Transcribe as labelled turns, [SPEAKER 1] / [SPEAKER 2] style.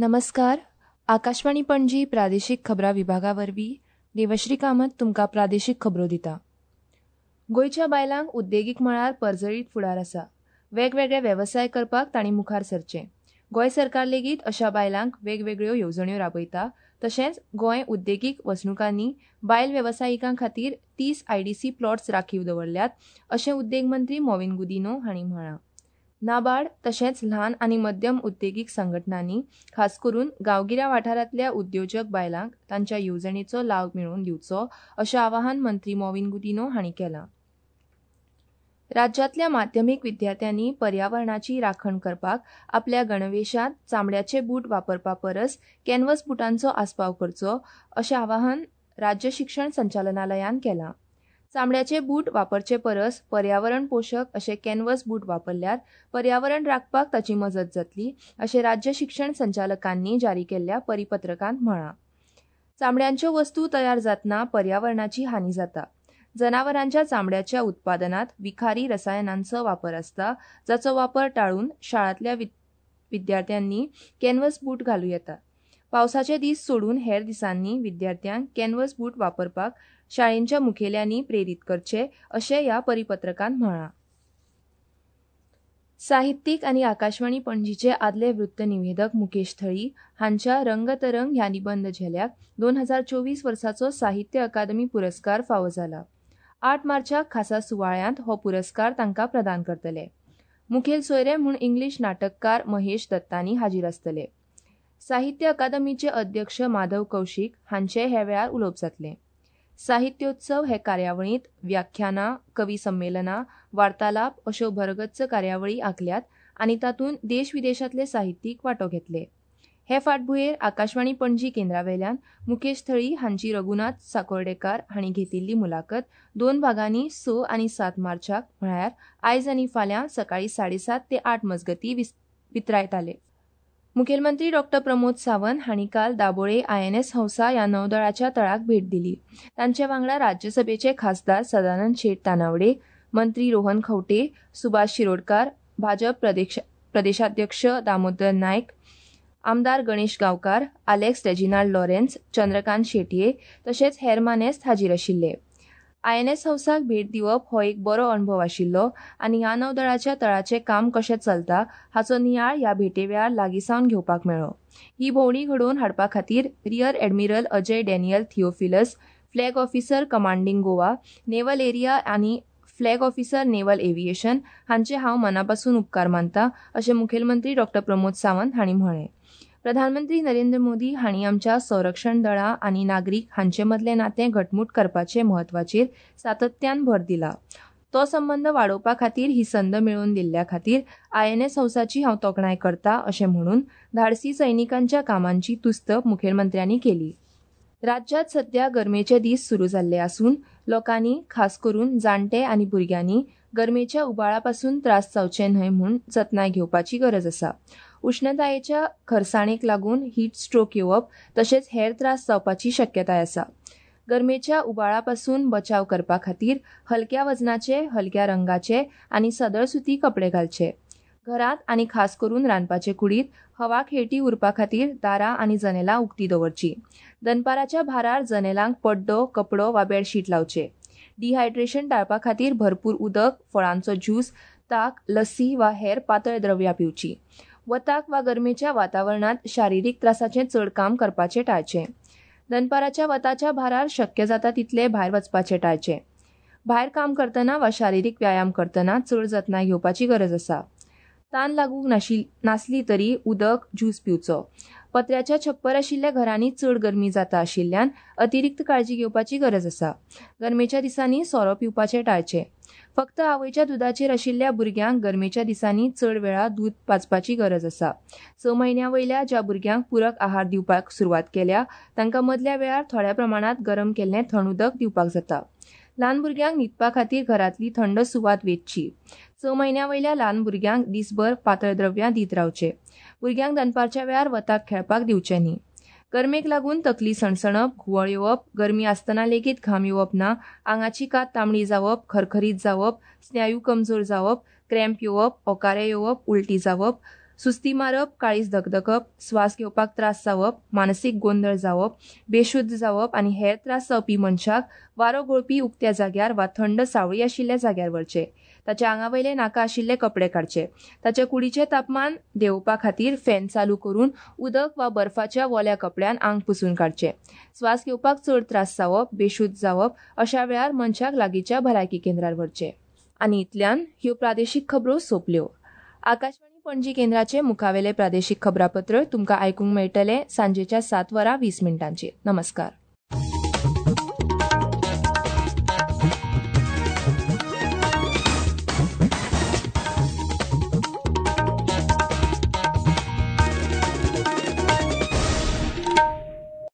[SPEAKER 1] नमस्कार. आकाशवाणी पणजी प्रादेशीक खबरां विभागा वरवीं देवश्री कामत तुमकां प्रादेशीक खबरो दिता. गोंयच्या बायलांक उद्देगीक मळार पर्जळीत फुडार आसा. वेगवेगळे वेवसाय करपाक तांणी मुखार सरचें. गोंय सरकार लेगीत अशा बायलांक वेगवेगळ्यो येवजण्यो राबयता. तशेंच गोंय उद्देगीक वसणुकांनी बायल वेवसायिकां खातीर 30 आयडीसी प्लॉट्स राखीव दवरल्यात, अशें उद्देग मंत्री मॉवीन गुदिन्हो हांणी म्हळां. नाबार्ड तशेंच ल्हान आनी मध्यम उद्देगीक संघटणांनी खास करून गांवगिऱ्या वाठारांतल्या उद्योजक बायलांक तांच्या येवजणेचो लाव मेळोवन दिवचो, अशें आवाहन मंत्री मॉवीन गुदिन्हो हांणी केलां. राज्यांतल्या माध्यमीक विद्यार्थ्यांनी पर्यावरणाची राखण करपाक आपल्या गणवेशांत चामड्याचे बूट वापरपा परस कॅनव्हस बुटांचो आस्पाव करचो, अशें आवाहन राज्य शिक्षण संचालनालयान केलां. चामड्याचे बूट वापरचे परस पर्यावरण पोशक अशे कॅनव्हस बूट वापरल्यार पर्यावरण राखपाक ताची मजत जातली, अशें राज्य शिक्षण संचालकांनी जारी केल्ल्या परिपत्रकांत म्हळां. चामड्यांच्यो वस्तू तयार जातना पर्यावरणाची हानी जाता. जनावरांच्या चामड्याच्या उत्पादनात विखारी रसायनांचो वापर आसता, जाचो वापर टाळून शाळांतल्या विद्यार्थ्यांनी कॅनव्हस बूट घालूं येतात. पावसाचे दीस सोडून हेर दिसांनी विद्यार्थ्यांक कॅनव्हस बूट वापरपाक शाळेंच्या मुखेल्यांनी प्रेरीत करचे, अशें ह्या परिपत्रकांत म्हळां. साहित्यीक आनी आकाशवाणी पणजीचे आदले वृत्तनिवेदक मुकेश थळी हांच्या रंगतरंग ह्या निबंद झेल्याक 2024 वर्साचो साहित्य अकादमी पुरस्कार फावो जाला. 8 मार्चाक खासा सुवाळ्यांत हो पुरस्कार तांकां प्रदान करतले. मुखेल सोयरे म्हूण इंग्लीश नाटककार महेश दत्तानी हाजीर आसतले. साहित्य अकादमीचे अध्यक्ष माधव कौशीक हांचे ह्या वेळार उलोवप जातलें. साहित्योत्सव हे कार्यावळींत व्याख्यानां, कवी संमेलनां, वार्तालाप अश्यो भरगच्च कार्यावळी आंखल्यात आनी तातूंत देश विदेशांतले साहित्यीक वांटो घेतले. हे फाटभुंयेर आकाशवाणी पणजी केंद्रावेल्यान मुकेश थळी हांची रघुनाथ साकोर्डेकार हांणी घेतिल्ली मुलाखत 2 भागांनी 6 आनी 7 मार्चाक म्हळ्यार आयज आनी फाल्यां सकाळीं 7:30 ते 8 मजगतीं वितरायताले. मुखेलमंत्री डॉ प्रमोद सावंत हांणी काल दाबोळे आयएनएस हंसा ह्या नौदळाच्या तळाक भेट दिली. तांचे वांगडा राज्यसभेचे खासदार सदानंद शेट तानावडे, मंत्री रोहन खंवटे, सुभाष शिरोडकार, भाजप प्रदेशाध्यक्ष दामोदर नायक, आमदार Ganesh Gaonkar, Alex Reginald Lawrence, Chandrakant Shetye तशेंच हेर मानेस्त हाजीर आशिल्ले. आयएनएस हंसाक भेट दिवप हो एक बरो अणभव आशिल्लो आनी ह्या नौदळाच्या तळाचें काम कशें चलता हाचो नियाळ ह्या भेटे वेळार लागींसावन घेवपाक मेळ्ळो. ही भोंवडी घडोवन हाडपा खातीर rear admiral Ajay Daniel Theophilus, flag officer commanding Goa naval area आनी फ्लॅग ऑफिसर नेव्हल एव्हिएशन हांचे हांव मनापासून उपकार मानता, अशें मुखेलमंत्री डॉ प्रमोद सावंत हांणी म्हळें. प्रधानमंत्री नरेंद्र मोदी हांणी आमच्या संरक्षण दळां आनी नागरीक हांचे मदलें नातें घटमूट करपाचे म्हत्वाचेर सातत्यान भर दिला. तो संबंद वाडोवपा खातीर ही संद मेळोवन दिल्ल्या खातीर आयएनएस हंसाची हांव तोखणाय करता, अशें म्हणून धाडसी सैनिकांच्या कामांची तुस्त मुखेलमंत्र्यांनी केली. राज्यांत सध्या गरमेचे दीस सुरू जाल्ले आसून लोकांनी खास करून जाणटे आनी भुरग्यांनी गरमेच्या उबाळा पासून त्रास जावचे न्हय म्हूण जतनाय घेवपाची गरज आसा. उश्णतायेच्या खरसाणेक लागून हीट स्ट्रोक येवप तशेंच हेर त्रास जावपाची शक्यताय आसा. गरमेच्या उबाळा पासून बचाव करपा खातीर हलक्या वजनाचे, हलक्या रंगाचे आनी सदळ सुती कपडे घालचे. घरांत आनी खास करून रांदपाचे कुडींत हवा खेळटी उरपा खातीर दारां आनी जनेलां उक्ती दवरची. दनपाराच्या भारार जनेलांक पड्डो, कपडो वा बेडशीट लावचे. डिहायड्रेशन टाळपा खातीर भरपूर उदक, फळांचो ज्यूस, ताक, लस्सी वा हेर पातळ द्रव्यां पिवची. वताक वा गरमेच्या वातावरणांत शारिरीक त्रासाचें चड काम करपाचें टाळचें. दनपाराच्या वताच्या भारार शक्य जाता तितलें भायर वचपाचें टाळचें. भायर काम करतना वा शारिरीक व्यायाम करतना चड जतनाय घेवपाची गरज आसा. तान लागूंक नासली तरी उदक, ज्यूस पिवचो. पत्र्याच्या छप्पर आशिल्ल्या घरांनी चड गरमी जाता आशिल्ल्यान अतिरिक्त काळजी घेवपाची गरज आसा. गरमेच्या दिसांनी सोरो पिवपाचें टाळचें. फक्त आवयच्या दुदाचेर आशिल्ल्या भुरग्यांक गरमेच्या दिसांनी चड वेळा दूद पाजपाची गरज आसा. 6 म्हयन्यां वयल्या ज्या भुरग्यांक पुरक आहार दिवपाक सुरवात केल्या तांकां मदल्या वेळार थोड्या प्रमाणांत गरम केल्लें थंड उदक दिवपाक जाता. ल्हान भुरग्यांक न्हिदपा खातीर घरांतली थंड सुवात वेंचची. 6 म्हयन्यां वयल्या ल्हान भुरग्यांक दिसभर पातळ द्रव्यां दीत रावचे. भुरग्यांक दनपारच्या वेळार वताक खेळपाक दिवचें न्ही. गरमेक लागून तकली सणसणप, घुंवळ येवप, गरमी आसतना लेगीत घाम येवप ना, आंगाची कात तांबडी जावप, खरखरीत जावप, स्नायू कमजोर जावप, क्रॅम्प येवप, ओकारे येवप, उलटी जावप, सुस्ती मारप, काळीज धकधकप, स्वास घेवपाक त्रास जावप, मानसीक गोंदळ जावप, बेशुद्ध जावप आनी हेर त्रास जावपी मनशाक वारो घोळपी उक्त्या जाग्यार वा थंड सावळी आशिल्ल्या जाग्यार व्हरचे. ताच्या आंगा वयले नाका आशिल्ले कपडे काडचे. ताच्या कुडीचें तापमान देंवोवपा खातीर फॅन चालू करून उदक वा बर्फाच्या ओल्या कपड्यान आंग पुसून काडचें. स्वास घेवपाक चड त्रास जावप, बेशुद्ध जावप अशा वेळार मनशाक लागींच्या भलायकी केंद्रार व्हरचें. आनी इतल्यान ह्यो प्रादेशीक खबरो सोंपल्यो. आकाशवाणी पणजी केंद्राचें मुखावेलें प्रादेशीक खबरापत्र तुमकां आयकूंक मेळटलें सांजेच्या सात वरां 20 मिनटांचेर. नमस्कार.